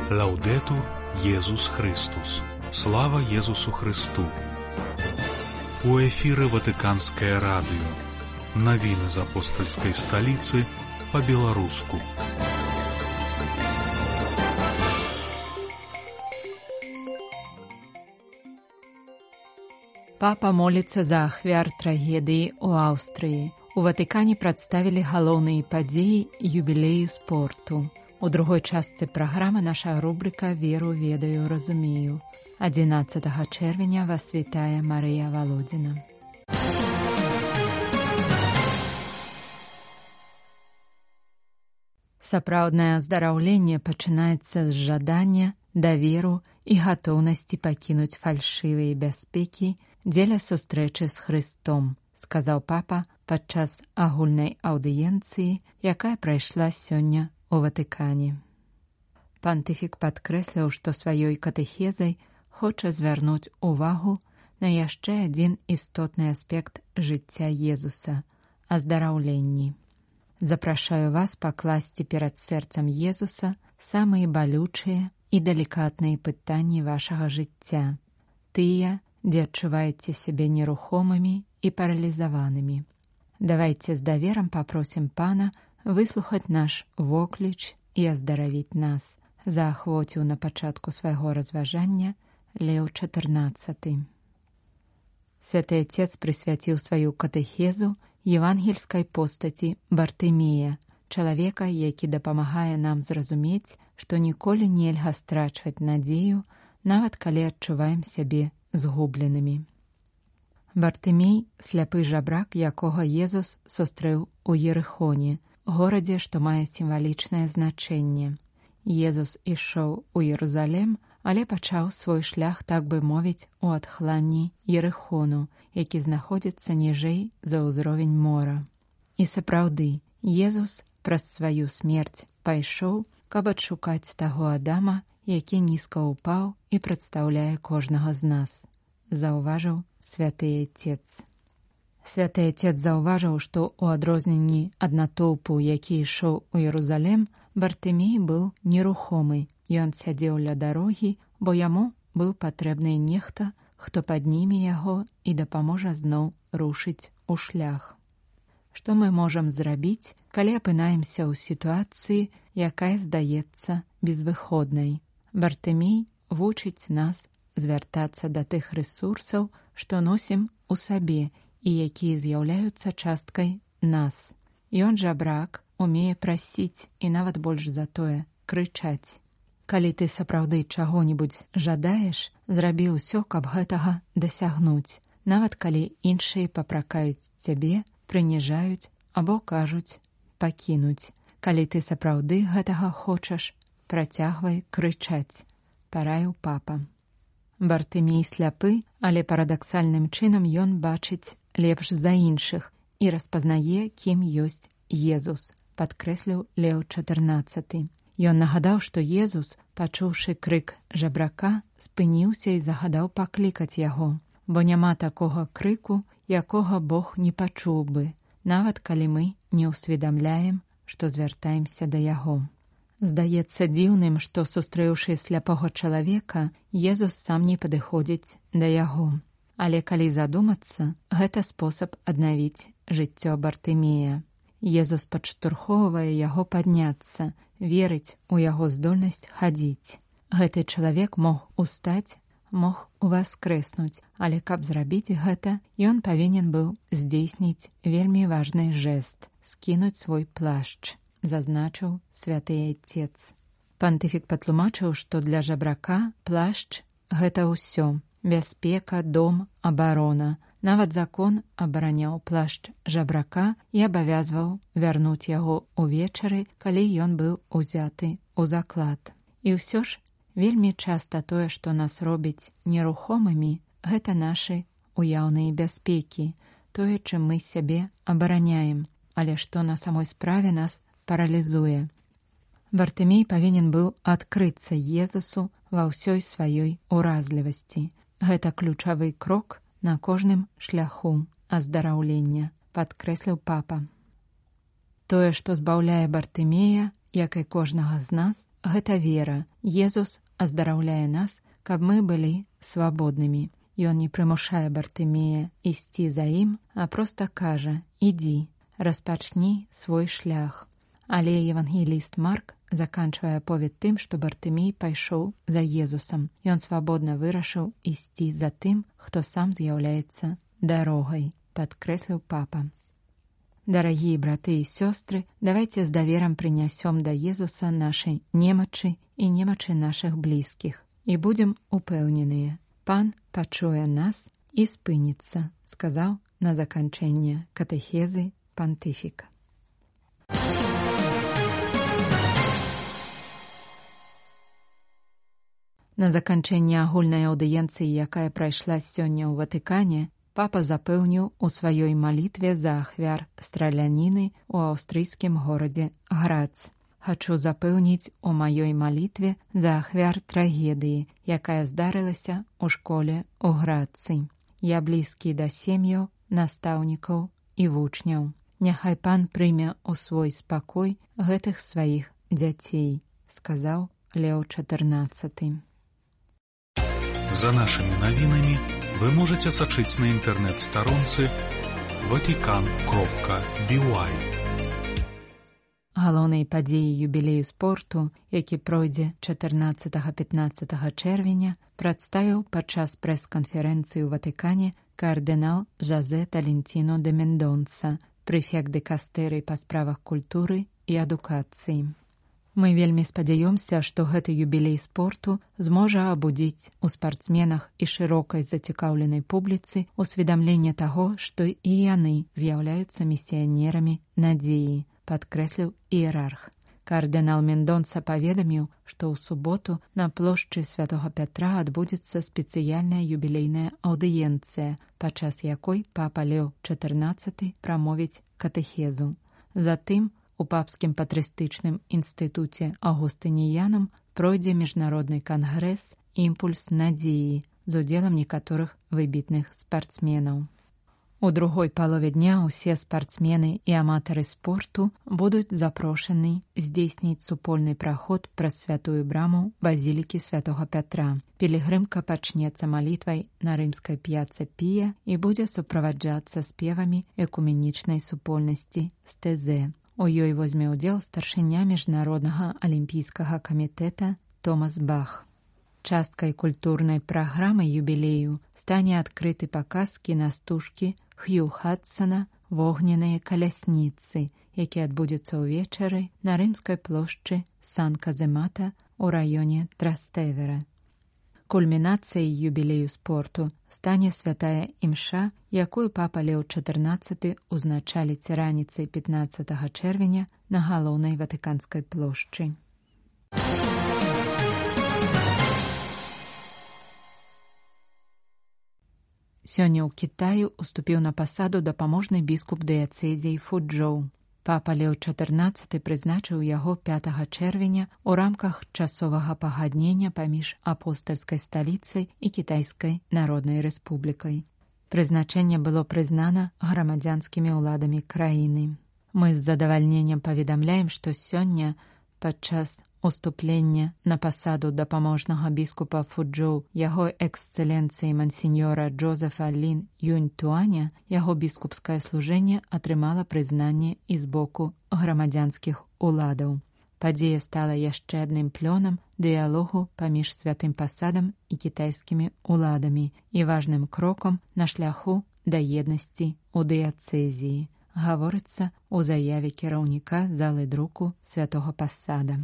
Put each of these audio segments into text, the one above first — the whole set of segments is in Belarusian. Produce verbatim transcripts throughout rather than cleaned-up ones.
Лаўдэтур Езус Христус. Слава Езусу Христу. У эфіры Ватыканскае радыё. Навіны з апостальскай сталіцы па-беларуску. Папа моліцца за ахвяр трагедыі ў Аўстрыі. У Ватыкане прадставілі галоўныя падзеі юбілею спорту. У другой частцы праграмы наша рубрика «Веру, ведаю, разумею». адзінаццатага чэрвеня вас вітае Марыя Валодзіна. Сапраўднае аздараўленне пачынаецца з жадання, даверу і гатоўнасці пакінуць фальшывыя бяспекі дзеля сустрэчы з Христом, сказаў папа падчас агульнай аўдыенцыі, якая прайшла сёння у Ватыкане. Пантыфік падкрэсліў, што сваёй катэхезай хоча звярнуць увагу на яшчэ адзін істотны аспект жыцця Езуса – аздараўленні. Запрашаю вас пакласці перад сэрцам Езуса самыя балючыя і далікатныя пытанні вашага жыцця, тыя, дзе адчуваеце сябе нерухомымі і паралізаванымі. Давайце з даверам папросім Пана выслухаць наш вокліч і аздаравіць нас, заахвоціў на пачатку свайго разважання Леў чатырнаццаты. Святы Отец прысвяціў сваю катэхезу евангельскай постаці Бартымея, чалавека, які дапамагае нам зразумець, што ніколі нельга страчваць надзею, нават калі адчуваем сябе згубленымі. Бартымей – сляпы жабрак, якога Езус сустрэў у Ерыхоне, горадзе, што мае сімвалічнае значэнне. Езус ішоў у Єрузалем, але пачаў свой шлях, так бы мовіць, у адхланні Ерыхону, які знаходзіцца ніжэй за ўзровень мора. І сапраўды, Езус праз сваю смерць пайшоў, каб адшукаць таго Адама, які нізка ўпаў і прадстаўляе кожнага з нас, заўважыў святы Отец. Святы Отец заўважыў, што ў адрозненні ад натоўпу, які ішоў у Єрузалем, Бартымей быў нерухомы. Ён сядзеў ля дарогі, бо яму быў патрэбны нехта, хто падніме яго і дапаможа зноў рушыць у шлях. Што мы можам зрабіць, калі апынаемся ў сітуацыі, якая здаецца безвыходнай? Бартымей вучыць нас звяртацца да тых рэсурсаў, што носім у сабе і якія з'яўляюцца часткай нас. Ён жабрак, умее прасіць і нават больш за тое крычаць. Калі ты сапраўды чаго-небудзь жадаеш, зрабі ўсё, каб гэтага дасягнуць, нават калі іншыя папракаюць цябе, прыніжаюць або кажуць пакінуць. Калі ты сапраўды гэтага хочаш, працягвай крычаць, параіў папа. Бартымей сляпы, але парадаксальным чынам ён бачыць лепш за іншых і распазнае, кім ёсць Езус, падкрэсліў Леў чатырнаццаты. Ён нагадаў, што Езус, пачуўшы крык жабрака, спыніўся і загадаў паклікаць яго, бо няма такога крыку, якога Бог не пачуў бы, нават калі мы не ўсведамляем, што звяртаемся да яго. Здаецца дзіўным, што, сустрэўшы сляпога чалавека, Езус сам не падыходзіць да яго. Але калі задумацца, гэта спосаб аднавіць жыццё Бартымея. Езус падштурхоўвае яго падняцца, верыць у яго здольнасць хадзіць. Гэты чалавек мог устаць, мог уваскрэснуць, але каб зрабіць гэта, ён павінен быў здзейсніць вельмі важны жэст – скінуць свой плашч, зазначыў святы Отец. Пантыфік патлумачыў, што для жабрака плашч – гэта ўсё. Бяспека, дом, абарона. Нават закон абараняў плашч жабрака і абавязваў вярнуць яго ўвечары, калі ён быў узяты ў заклад. І ўсё ж, вельмі часта тое, што нас робіць нерухомымі, гэта нашы уяўныя бяспекі, тое, чым мы сябе абараняем, але што на самой справе нас паралізуе. Бартымей павінен быў адкрыцца Езусу ва ўсёй сваёй уразлівасці. Гэта ключавы крок на кожным шляху аздараўлення, падкрэсліў папа. Тое, што збаўляе Бартымея, як і кожнага з нас, гэта вера. Езус аздараўляе нас, каб мы былі свабоднымі. Ён не прымушае Бартымея ісці за ім, а проста кажа: «Ідзі, распачні свой шлях». Але евангеліст Марк заканчвае аповед тым, што Бартымей пайшоў за Езусам. Ён свабодна вырашыў ісці за тым, хто сам з'яўляецца дарогай, падкрэсліў папа. Дарагія браты і сёстры, давайце з даверам прынясём да Езуса нашай немачы і немачы нашых блізкіх. І будзем упэўненыя, Пан пачуе нас і спыніцца, сказаў на заканчэнне катэхезы пантыфік. На заканчэнне агульнай аўдыенцыі, якая прайшла сёння ў Ватыкане, папа запэўніў у сваёй малітве за ахвяр страляніны ў аўстрыйскім горадзе Грац. Хачу запэўніць у маёй малітве за ахвяр трагедыі, якая здарылася ў школе ў Грацы. Я блізкі да сем'яў, настаўнікаў і вучняў. Няхай Пан прыме ў свой спакой гэтых сваіх дзяцей, сказаў Лео чатырнаццаты. За нашымі навінамі вы можаце сачыць на інтэрнэт-старонцы ватикан кропка би уай. Галоўнай падзеяй юбілею спорту, які пройдзе чатырнаццатага-пятнаццатага чэрвеня, прадставіў падчас прэс-канферэнцыі ў Ватыкане кардынал Жозе Талентіно де Мендонса, прэфект дыкастэрыі па справах культуры і адукацыі. Мы вельмі спадзяёмся, што гэты юбілей спорту зможа абудзіць у спартсменах і шырокай зацікаўленай публіцы усведамленне таго, што і яны з'яўляюцца місіянерамі надзеі, падкрэсліў іерарх. Кардынал Мендонса паведаміў, што ў суботу на плошчы Святога Пятра адбудзецца спецыяльная юбілейная аўдыенцыя, падчас якой папа Лео чатырнаццаты прамовіць катэхезу. Затым у папскім патрыстычным інстытуце Аўгустыніянам пройдзе міжнародны кангрэс «Імпульс надзеі» з удзелам некаторых выбітных спартсменаў. У другой палове дня ўсе спартсмены і аматары спорту будуць запрошаны здзейсніць супольны праход праз святую браму базілікі Святога Пятра. Пілігрымка пачнецца малітвай на рымскай п'яцца Пія і будзе суправаджацца спевамі экуменічнай супольнасці стэзэ. У ёй возьме ўдзел старшыня Міжнароднага алімпійскага камітэта Томас Бах. Часткай культурнай праграмы юбілею стане адкрыты паказ кінастужкі Хью Хадсона «Вогненыя калясніцы», які адбудзецца ўвечары на рымскай плошчы Сан-Каземата ў раёне Трастэвера. Кульмінацыяй юбілею спорту стане святая імша, якую папа Лео чатырнаццаты узначаліць раніцай пятнаццатага чэрвеня на галоўнай ватыканскай плошчы. Сёння ў Кітаю уступіў на пасаду дапаможны біскуп дыяцэзіі Фуджоу. Папа Лео чатырнаццаты прызначыў яго пятага чэрвеня ў рамках часовага пагаднення паміж апостальскай сталіцай і Кітайскай Народнай Рэспублікай. Прызначэнне было прызнана грамадзянскімі ўладамі краіны. Мы з задавальненнем паведамляем, што сёння падчас уступлення на пасаду дапаможнага біскупа Фуджоу яго эксцэленцыі мансіньора Джозефа Лін Юнь-Туаня яго біскупскае служэнне атрымала прызнанне і з боку грамадзянскіх уладаў. Падзея стала яшчэ адным плёнам дыялогу паміж святым пасадам і кітайскімі уладамі і важным крокам на шляху да еднасці ў дыяцэзіі, гаворыцца ў заяве кіраўніка залы друку святога пасада.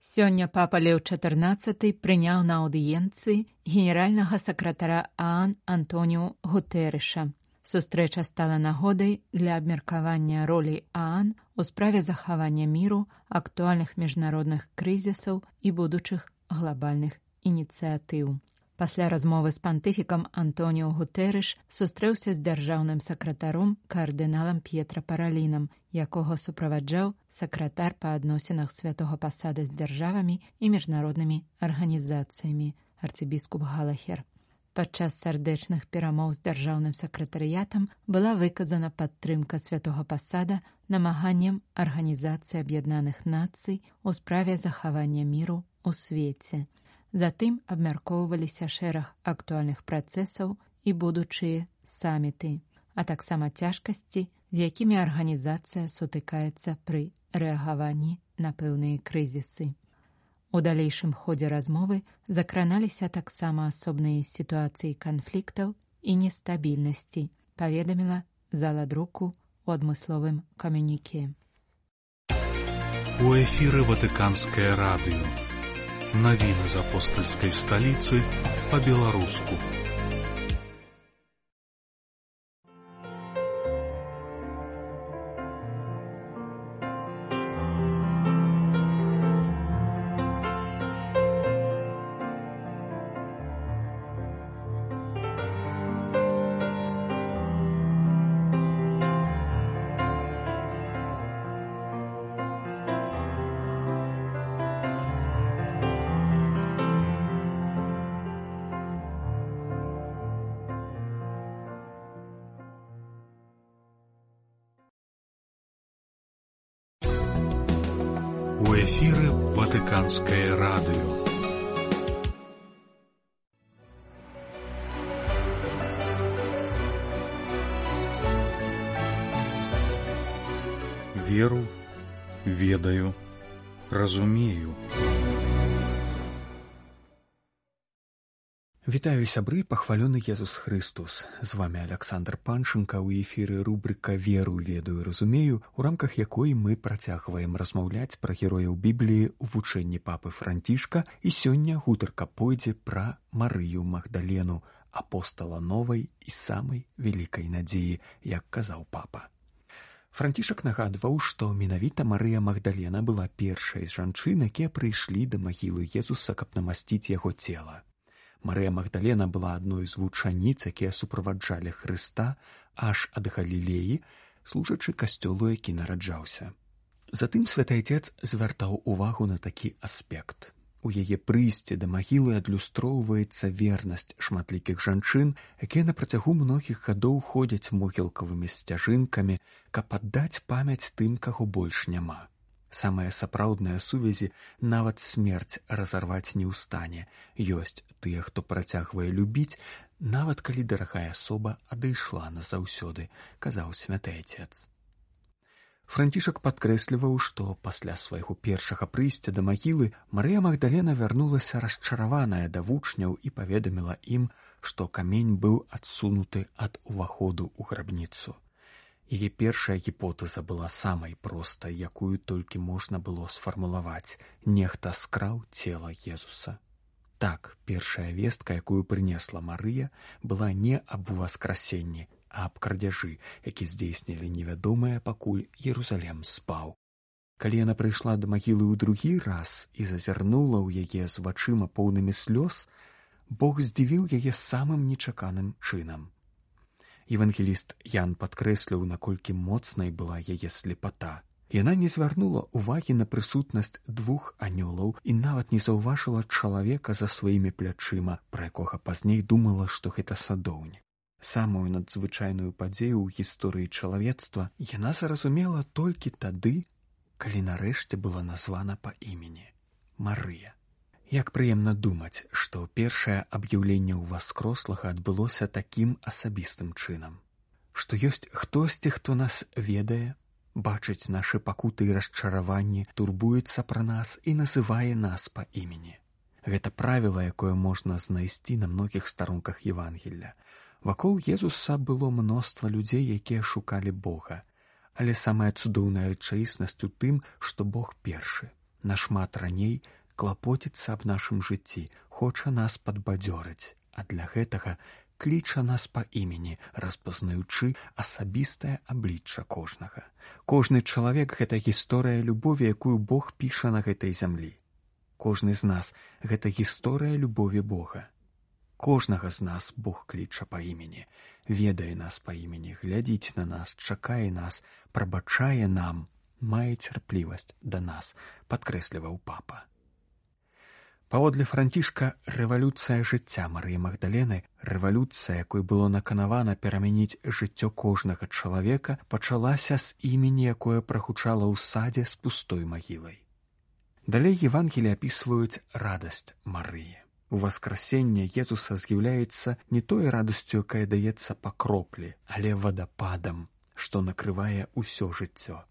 Сёння папа Лео чатырнаццаты прыняў на аўдыенцыі генеральнага сакратара ААН Антоніу Гутэрэша. Сустрэча стала нагодай для абмеркавання ролі ААН у справе захавання міру, актуальных міжнародных крызісаў і будучых глобальных ініцыятыў. Пасля размовы з пантыфікам Антоніу Гутэрэш сустрэўся з дзяржаўным сакратаром кардыналам П'етра Паралінам, якога суправаджаў сакратар па адносінах святога пасада з дзяржавамі і міжнароднымі арганізацыямі, арцыбіскуп Галахер. Падчас сардэчных перамоў з дзяржаўным сакратарыятам была выказана падтрымка святога пасада намаганням Арганізацыі Аб'яднаных Нацый у справе захавання міру ў свеце. Затым абмяркоўваліся шэраг актуальных працэсаў і будучыя саміты, а таксама цяжкасці, з якімі арганізацыя сутыкаецца пры рэагаванні на пэўныя крызісы. У далейшым ходзе размовы закраналіся таксама асобныя сітуацыі канфліктаў і нестабільнасці, паведаміла зала друку ў адмысловым камюніке. У эфіры Ватыканскае радыё. Навіны з апостальскай сталіцы па-беларуску. У эфіры Ватыканскае радыё. Веру, ведаю, разумею. Вітаю, сябры, пахвалёны Езус Христос. З вами Александр Панченко, у эфіры рубрика «Веру, ведаю, разумею», у рамках якой мы працягваем размаўляць пра герояў Бібліі ў вучэнні папы Францішка, і сёння гутарка пойдзе пра Марыю Магдалену, апостала новай і самай вялікай надзеі, як казаў папа. Францішак нагадваў, што менавіта Марыя Магдалена была першай з жанчын, якія прыйшлі да магілы Езуса, каб намасціць яго цела. Марыя Магдалена была адной з вучаніц, якія суправаджалі Хрыста аж ад Галілеі, служачы касцёлу, які нараджаўся. Затым святы Отец звяртаў увагу на такі аспект. У яе прыйсці да магілы адлюстроўваецца вернасць шматлікіх жанчын, якія на працягу многіх гадоў ходзяць могілкавымі сцяжынкамі, каб аддаць памяць тым, каго больш няма. Самая сапраўдная сувязі нават смерць разарваць не ў стане. Ёсць тыя, хто працягвае любіць, нават калі дарагая асоба адышла назаўсёды, казаў святы Отец. Францішак падкрэсліваў, што пасля свайго першага прыйсця да магілы Марыя Магдалена вярнулася расчараваная да вучняў і паведаміла ім, што камень быў адсунуты ад уваходу ў грабніцу. Яе першая гіпотэза была самай простай, якую толькі можна было сфармулаваць. Нехта скраў цела Езуса. Так, першая вестка, якую прынесла Марыя, была не аб уваскрасенні, а аб крадзяжы, які здзейснілі невядомыя, пакуль Єрусалем спаў. Калі яна прыйшла да магілы ў другі раз і зазірнула ў яе з вачыма поўнымі слёз, Бог здзівіў яе самым нечаканым чынам. Евангеліст Ян падкрэсліў, наколькі моцнай была яе слепата. Яна не звярнула ўвагі на прысутнасць двух анёлаў і нават не заўважыла чалавека за сваімі плячыма, пра якога пазней думала, што гэта садоўнік. Самую надзвычайную падзею ў гісторыі чалавецтва яна зразумела толькі тады, калі нарэшце была названа па імені – Марыя. Як прыемна думаць, што першае аб'яўленне ўваскрослага адбылося такім асабістым чынам. Што ёсць хтосьці, хто нас ведае, бачыць нашы пакуты і расчараванні, турбуецца пра нас і называе нас па імені. Гэта правіла, якое можна знайсці на многіх старонках Евангелля. Вакол Езуса было мноства людзей, якія шукалі Бога. Але самая цудоўная рэчаіснасць у тым, што Бог першы, нашмат раней, клапоціцца аб нашым жыцці, хоча нас падбадзёрыць, а для гэтага кліча нас па імені, распазнаючы асабістае аблічча кожнага. Кожны чалавек — гэта гісторыя любові, якую Бог піша на гэтай зямлі. Кожны з нас — гэта гісторыя любові Бога. Кожнага з нас Бог кліча па імені, ведае нас па імені, глядзіць на нас, чакае нас, прабачае нам, мае цярплівасць да нас, падкрэсліваў папа. Паводле Францішка, рэвалюцыя жыцця Марыі Магдалены, рэвалюцыя, якой было наканавана перамяніць жыццё кожнага чалавека, пачалася з імені, якое прагучала ў садзе з пустой магілай. Далей Евангелі апісваюць радасць Марыі. У васкрасенне Езуса з'яўляецца не той радасцю, якая даецца па кроплі, але вадападам, што накрывае ўсё жыццё.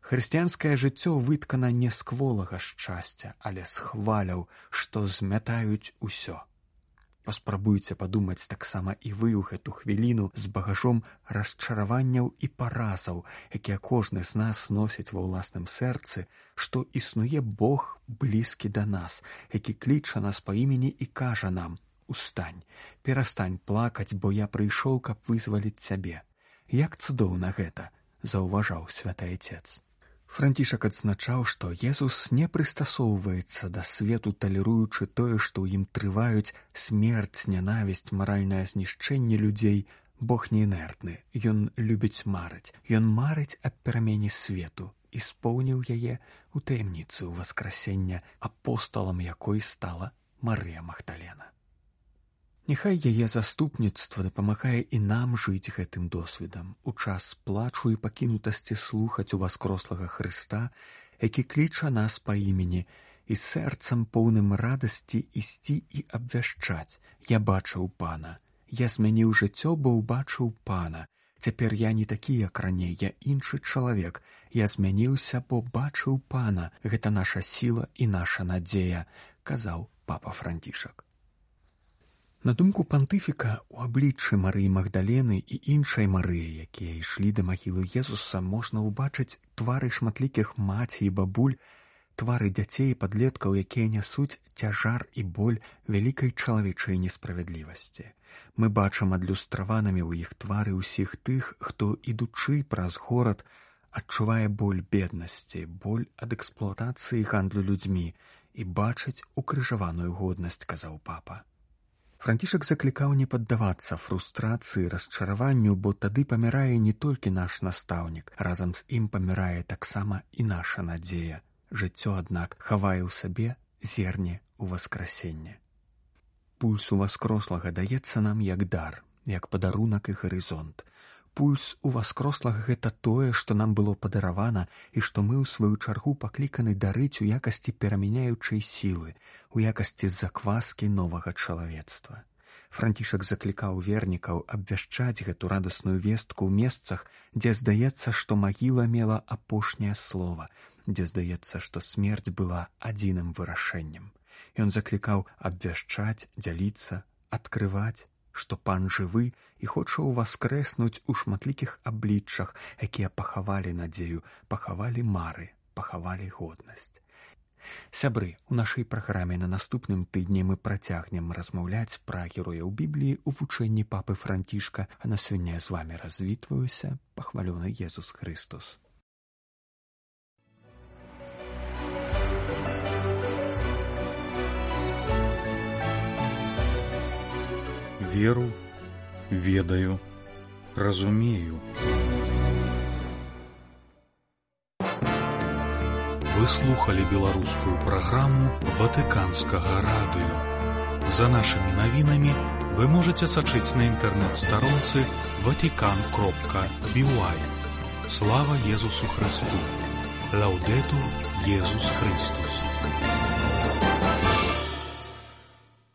Хрысціянскае жыццё выткана не з кволага шчасця, але з хваляў, што змятаюць усё. Паспрабуйце падумаць таксама і вы ў гэту хвіліну з багажом расчараванняў і паразаў, якія кожны з нас носіць ва ўласным сэрцы, што існуе Бог блізкі да нас, які кліча нас па імені і кажа нам: «Устань, перастань плакаць, бо я прыйшоў, каб вызваліць цябе». Як цудоўна гэта, заўважаў святы Айцец. Францішак адзначаў, што Езус не прыстасоўваецца да свету, талеруючы тое, што ў ім трываюць смерць, нянавісць, маральнае знішчэнне людзей. Бог не інертны, ён любіць марыць. Ён марыць аб перамене свету і споўніў яе ў таямніцы ўваскрасення, апосталам якой стала Марыя Магдалена. Няхай яе заступніцтва дапамагае і нам жыць гэтым досведам, у час плачу і пакінутасці слухаць уваскрослага Хрыста, які кліча нас па імені, і сэрцам поўным радасці ісці і абвяшчаць: «Я бачыў Пана, я змяніў жыццё, бо ўбачыў Пана. Цяпер я не такі, як раней, я іншы чалавек. Я змяніўся, бо бачыў Пана. Гэта наша сіла і наша надзея», – казаў папа Францішак. На думку пантыфіка, у абліччы Марыі Магдалены і іншай Марыі, якія ішлі да магілы Езуса, можна ўбачыць твары шматлікіх маці і бабуль, твары дзяцей і падлеткаў, якія нясуць цяжар і боль вялікай чалавечай несправядлівасці. Мы бачым адлюстраванымі ў іх твары ўсіх тых, хто, ідучы праз горад, адчувае боль беднасці, боль ад эксплуатацыі гандлю людзьмі і бачыць укрыжаваную годнасць, казаў папа. Францішак заклікаў не паддавацца фрустрацыі, расчараванню, бо тады памірае не толькі наш настаўнік, разам з ім памірае таксама і наша надзея. Жыццё, аднак, хавае ў сабе зерне ўваскрасення. Пульс уваскрослага даецца нам як дар, як падарунак і гарызонт. Пульс уваскрослага – гэта тое, што нам было падаравана і што мы ў сваю чаргу пакліканы дарыць у якасці перамяняючай сілы, у якасці закваскі новага чалавецтва. Францішак заклікаў вернікаў абвяшчаць гэту радасную вестку ў месцах, дзе здаецца, што магіла мела апошняе слова, дзе здаецца, што смерць была адзіным вырашэннем. Ён заклікаў абвяшчаць, дзяліцца, адкрываць, што Пан жывы і хоча ўваскрэснуць у шматлікіх абліччах, якія пахавалі надзею, пахавалі мары, пахавалі годнасць. Сябры, у нашай праграме на наступным тыдні мы працягнем размаўляць пра герояў Бібліі ў вучэнні папы Францішка, а на сёння з вамі развітваюся, пахвалёны Езус Христос. Веру, ведаю, разумею. Вы слухали беларускую праграму Ватыканскага радыё. За нашымі навінамі вы можаце сачыць на інтэрнэт-старонцы ватикан кропка би уай. Слава Езусу Христу! Лаўдэтур Езус Христус!